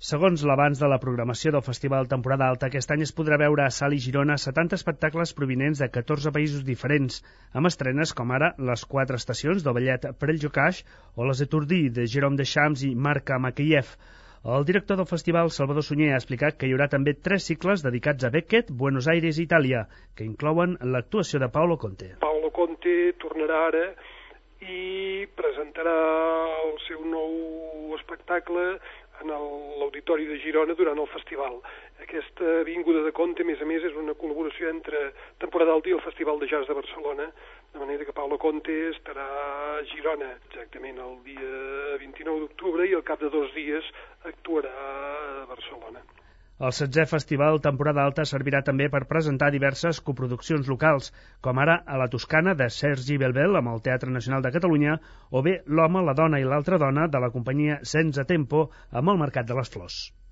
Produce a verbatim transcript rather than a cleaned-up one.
Segons l'avanç de la programació del Festival Temporada Alta, aquest any es podrà veure a Salt i Girona setanta espectacles provinents de catorze països diferents, amb estrenes com ara Les quatre estacions del ballet Preljocaix o Les Étourdies de Jérôme Deschamps i Marc Makiev. El director del festival, Salvador Sunyer, ha explicat que hi haurà també tres cicles dedicats a Beckett, Buenos Aires i Itàlia, que inclouen l'actuació de Paolo Conte. Paolo Conte tornarà ara i presentarà el seu nou espectacle en l'Auditori de Girona durant el festival. Aquesta vinguda de Conte, a més a més, és una col·laboració entre Temporada Alta i el Festival de Jazz de Barcelona, de manera que Paolo Conte estarà a Girona exactament el dia vint-i-nou d'octubre i al cap de dos dies actuarà a Barcelona. El setzè Festival Temporada Alta servirà també per presentar diverses coproduccions locals, com ara a la Toscana de Sergi Belbel amb el Teatre Nacional de Catalunya o bé L'home, la dona i l'altra dona de la companyia Senza Tempo amb el Mercat de les Flors.